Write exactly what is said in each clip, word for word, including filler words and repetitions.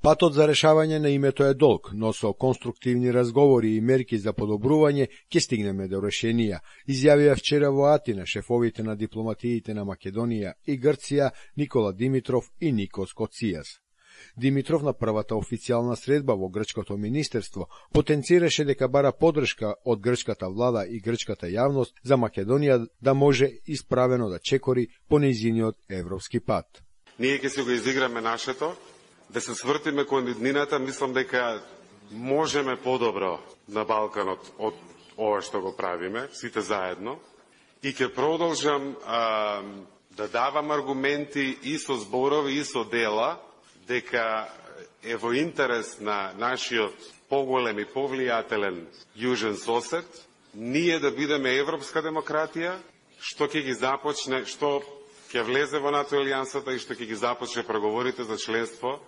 Патот за решавање на името е долг, но со конструктивни разговори и мерки за подобрување ќе стигнеме до решенија, изјавија вчера во Атина шефовите на дипломатиите на Македонија и Грција Никола Димитров и Никос Коцијас. Димитров на првата официјална средба во грчкото министерство потенцираше дека бара подршка од грчката влада и грчката јавност за Македонија да може исправено да чекори по нејзиниот европски пат. Ние ќе се го изиграме нашето, да се свртиме кон иднината, мислам дека можеме подобро на Балканот од ова што го правиме, сите заедно. И ќе продолжам а, да давам аргументи и со зборови и со дела, дека е во интерес на нашиот поголем и повлијателен јужен сосед, ние да бидеме европска демократија, што ќе ги започне, што ќе влезе во НАТО алијансата и што ќе ги започне преговорите за членство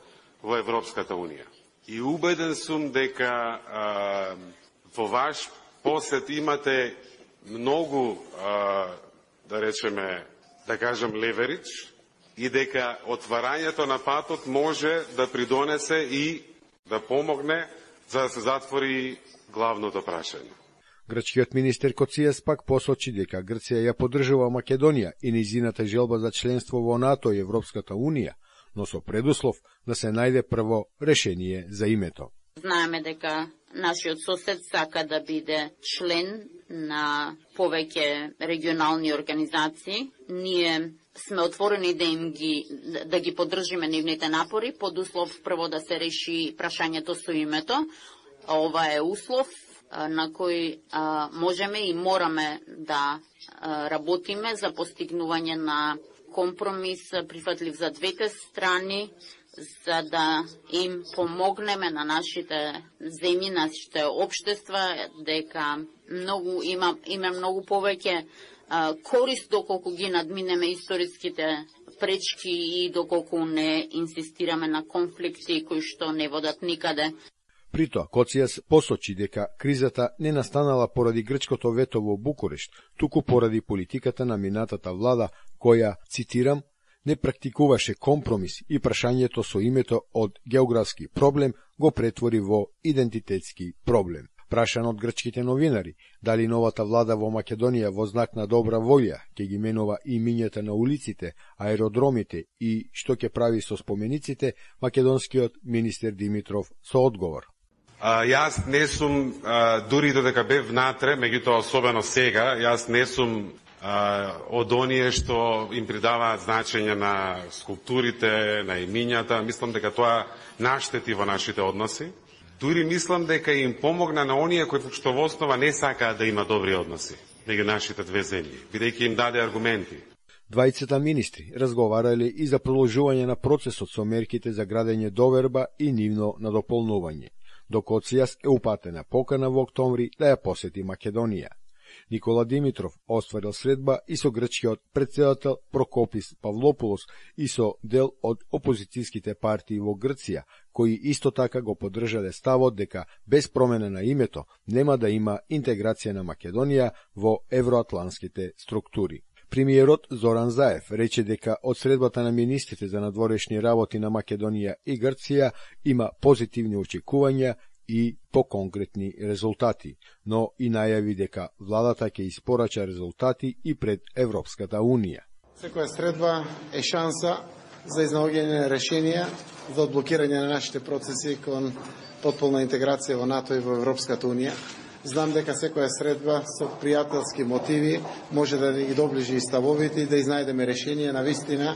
во Европската унија. И убеден сум дека а, во ваш посет имате многу, а, да речеме, да кажем, леверидж, и дека отварањето на патот може да придонесе и да помогне за да се затвори главното прашање. Грчкиот министер Коцијас пак посочи дека Грција ја поддржува Македонија и нејзината желба за членство во НАТО и Европската унија, но со предуслов да се најде прво решение за името. Знаеме дека нашиот сосед сака да биде член на повеќе регионални организации. Ние сме отворени да им ги да ги поддржиме нивните напори, под услов прво да се реши прашањето со името. Ова е услов на кој а, можеме и мораме да а, работиме за постигнување на компромис прифатлив за двете страни, за да им помогнеме на нашите земји, нашите општества, дека многу има има многу повеќе а, корист доколку ги надминеме историските пречки и доколку не инсистираме на конфликти кои што не водат никаде. При тоа, Коцијас посочи дека кризата не настанала поради грчкото вето во Букурешт, туку поради политиката на минатата влада, која, цитирам, не практикуваше компромис и прашањето со името од географски проблем го претвори во идентитетски проблем. Прашан од грчките новинари, дали новата влада во Македонија во знак на добра волја ќе ги менува имињата на улиците, аеродромите и што ќе прави со спомениците, македонскиот министер Димитров со одговор. А, јас не сум, а, дури додека бев внатре, меѓутоа особено сега, јас не сум а, од оние што им придаваат значење на скулптурите, на имињата. Мислам дека тоа наштети во нашите односи. Дури мислам дека им помогна на оние кои што во основа не сакаат да има добри односи меѓу нашите две земји, бидејќи им даде аргументи. Двајцата министри разговарале и за продолжување на процесот со мерките за градење доверба и нивно надополнување. До Коцијас е упатена покана во октомври да ја посети Македонија. Никола Димитров остварил средба и со грчкиот претседател Прокопис Павлопулос и со дел од опозицијските партии во Грција, кои исто така го поддржале ставот дека без промена на името нема да има интеграција на Македонија во евроатланските структури. Премиерот Зоран Заев рече дека од средбата на министрите за надворешни работи на Македонија и Грција има позитивни очекувања и поконкретни резултати, но и најави дека владата ќе испорача резултати и пред Европската унија. Секоја средба е шанса за изнаоѓање на решенија за одблокирање на нашите процеси кон потполна интеграција во НАТО и во Европската унија. Знам дека секоја средба со пријателски мотиви може да ги доближи и ставовите и да изнајдеме решение на вистина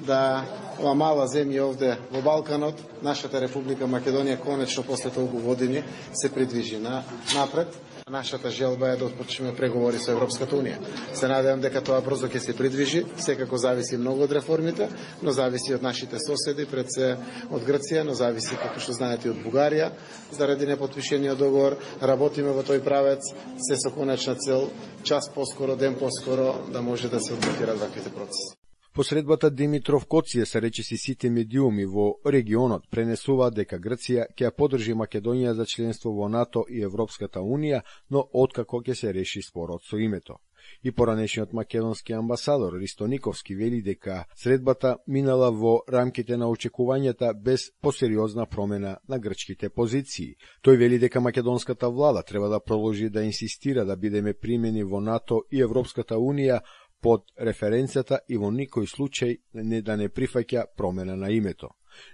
да ова мала земја овде во Балканот, нашата Република Македонија, конечно после толку години се придвижи на напред. Нашата желба е да отпочнеме преговори со Европската унија. Се надевам дека тоа брзо ќе се придвижи, секако зависи многу од реформите, но зависи од нашите соседи, пред се од Грција, но зависи, како што знаете, од Бугарија. Заради непотпишениот договор работиме во тој правец, се со конечна цел час поскоро, ден поскоро да може да се одблокираат ваквите процеси. По средбата Димитров Коцијас речиси сите медиуми во регионот пренесуваат дека Грција ќе ја поддржи Македонија за членство во НАТО и Европската унија, но откако ќе се реши спорот со името. И поранешниот македонски амбасадор Ристо Никовски вели дека средбата минала во рамките на очекувањата без посериозна промена на грчките позиции. Тој вели дека македонската влада треба да продолжи да инсистира да бидеме примени во НАТО и Европската Унија под референцията и во никој случај не да не прифаќа промена на името.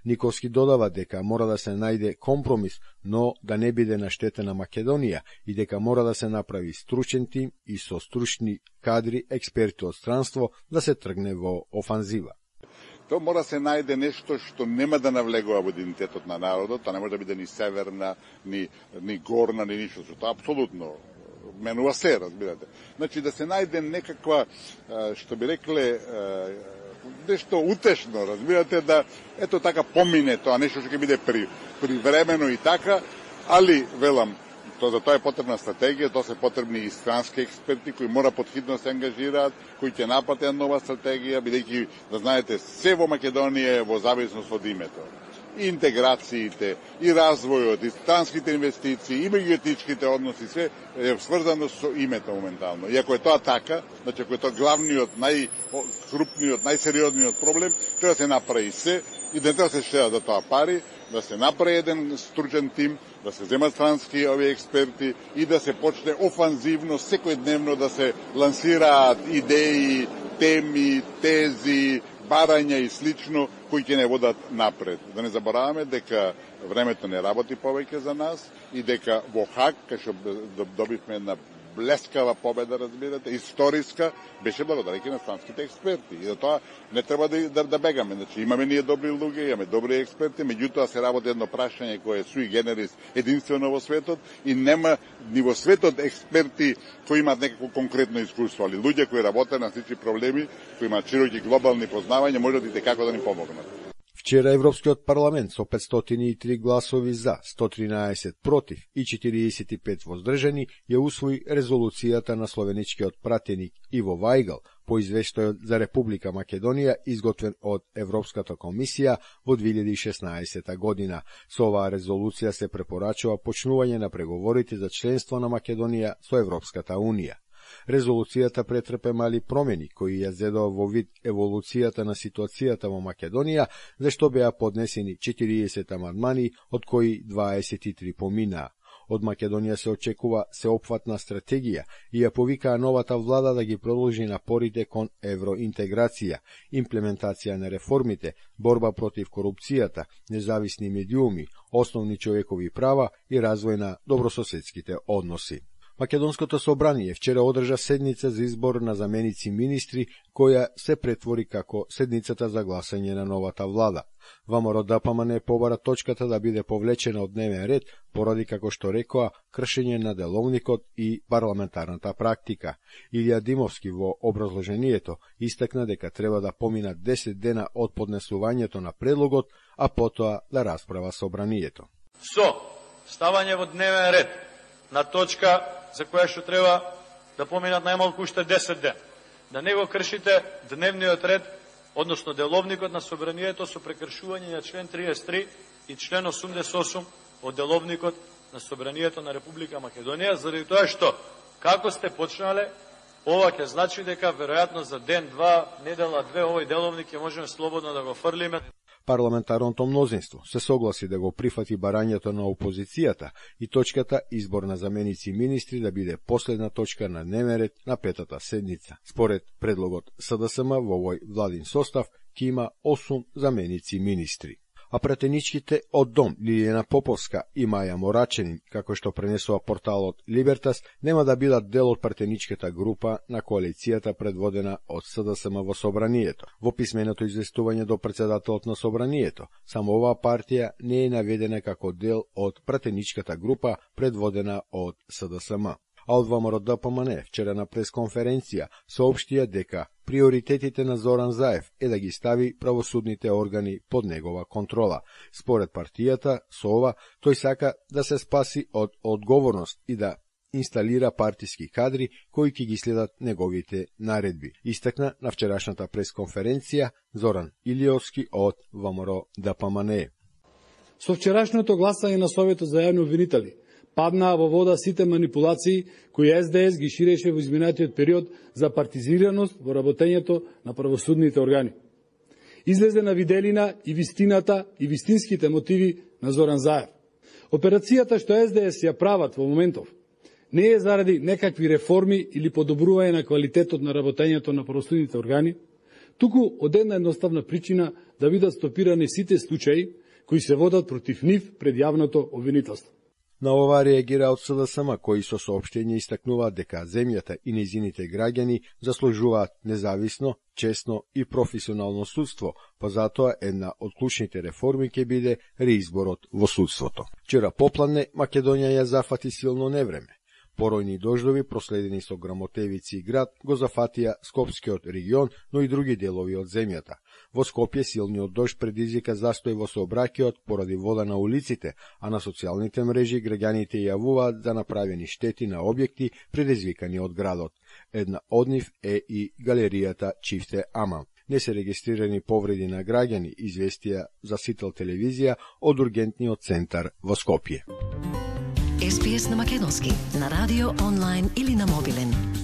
Никовски додава дека мора да се најде компромис, но да не биде на штета на Македонија и дека мора да се направи стручен тим и со стручни кадри, експерти од странство да се тргне во офанзива. То мора да се најде нешто што нема да навлегува во идентитетот на народот, тоа не може да биде ни северна, ни, ни горна, ни ништо, што тоа апсолутно менува се, разбирате. Значи да се најде некаква, што би рекле, нешто утешно, разбирате, да ето така помине тоа, нешто што ќе биде при, привремено и така, али, велам, то за тоа е потребна стратегија, тоа се потребни и странски експерти кои мора подхитно се ангажираат, кои ќе напатат нова стратегија, бидејќи, да знаете, се во Македонија е во зависност од името. И интеграциите, и развојот, и странските инвестиции, и меѓуетничките односи, се е сврзано со името моментално. И ако е тоа така, значи ако е тоа главниот, најкрупниот, најсериозниот проблем, треба да се направи се и да не треба да се штедат за тоа пари, да се направи еден стручен тим, да се земат странски овие експерти и да се почне офанзивно, секојдневно да се лансираат идеи, теми, тези, барања и слично, кои ќе не водат напред. Да не забораваме дека времето не работи повеќе за нас и дека во Хаг, кај што добивме една блескава победа, разбирате, историска, беше благодарејќи на странските експерти. И за тоа не треба да, да, да бегаме. Значи, имаме ние добри луѓе, имаме добри експерти, меѓутоа се работи едно прашање кое е суи генерис единствено во светот и нема ни во светот експерти кои имаат некако конкретно искуство, али луѓе кои работат на сите проблеми, кои имаат широки глобални познавања, можат и како да ни помогнат. Вчера Европскиот парламент со петстотини и три гласови за, сто тринаесет против и четириесет и пет воздржани ја усвои резолуцијата на словеничкиот пратеник Иво Вајгал по извештајот за Република Македонија изготвен од Европската комисија во две илјади и шеснаесета година. Со оваа резолуција се препорачува почнување на преговорите за членство на Македонија со Европската Унија. Резолуцијата претрпе мали промени, кои ја зедоа во вид еволуцијата на ситуацијата во Македонија, зашто беа поднесени четириесет амандмани, од кои дваесет и три поминаа. Од Македонија се очекува сеопфатна стратегија и ја повикаа новата влада да ги продолжи напорите кон евроинтеграција, имплементација на реформите, борба против корупцијата, независни медиуми, основни човекови права и развој на добрососедските односи. Македонското собрание вчера одржа седница за избор на заменици министри, која се претвори како седницата за гласање на новата влада. ВМРО Д П М Н побара точката да биде повлечена од дневен ред, поради, како што рекоа, кршење на деловникот и парламентарната практика. Илија Димовски во образложението истакна дека треба да поминат десет дена од поднесувањето на предлогот, а потоа да расправа собранието. Со ставање во дневен ред на точка за која што треба да поминат најмалку уште десет дена. Да не го кршите дневниот ред, односно деловникот на собранието со прекршување на член триесет и три и член осумдесет и осум од деловникот на собранието на Република Македонија, заради тоа што, како сте почнале, ова ќе значи дека веројатно за ден, два, недела, две, овој деловник ќе можеме слободно да го фрлиме. Парламентарното мнозинство се согласи да го прифати барањето на опозицијата и точката избор на заменици министри да биде последна точка на дневен ред на петата седница. Според предлогот С Д С М во овој владин состав ќе има осум заменици министри. А пратеничките од Дом Лилијана Поповска и Маја Мораченин, како што пренесува порталот Либертас, нема да бидат дел од пратеничката група на коалицијата предводена од С Д С М во собранието. Во писменото известување до председателот на собранието, само оваа партија не е наведена како дел од пратеничката група предводена од С Д С М. А од ВМРО Д П М Н вчера на пресконференција соопштија дека приоритетите на Зоран Заев е да ги стави правосудните органи под негова контрола. Според партијата, со ова, тој сака да се спаси од одговорност и да инсталира партиски кадри кои ќе ги следат неговите наредби. Истакна на вчерашната пресконференција Зоран Илиовски од ВМРО Д П М Н. Со вчерашното гласање на Советот за јавни обвинители, паднаа во вода сите манипулации кои Ес Де Ес ги ширеше во изминатиот период за партизираност во работењето на правосудните органи. Излезе на виделина и вистината и вистинските мотиви на Зоран Заев. Операцијата што Ес Де Ес ја прават во моментов не е заради некакви реформи или подобрување на квалитетот на работењето на правосудните органи, туку од една едноставна причина да бидат стопирани сите случаи кои се водат против нив пред јавното обвинителство. На ова реагира од С Д С М, кои со соопштење истакнуваат дека земјата и нејзините граѓани заслужуваат независно, честно и професионално судство, па затоа една од клучните реформи ќе биде реизборот во судството. Вчера попладне Македонија ја зафати силно невреме. Поројни дождови, проследени со грамотевици и град, го зафатија Скопскиот регион, но и други делови од земјата. Во Скопје силниот дожд предизвика застој во сообраќајот поради вода на улиците, а на социјалните мрежи граѓаните јавуваат за направени штети на објекти предизвикани од градот. Една од нив е и галеријата Чифте Аман. Не се регистрирани повреди на граѓани, известија за Сител телевизија од ургентниот центар во Скопје. Ес Би Ес на македонски, на радио, онлайн или на мобилен.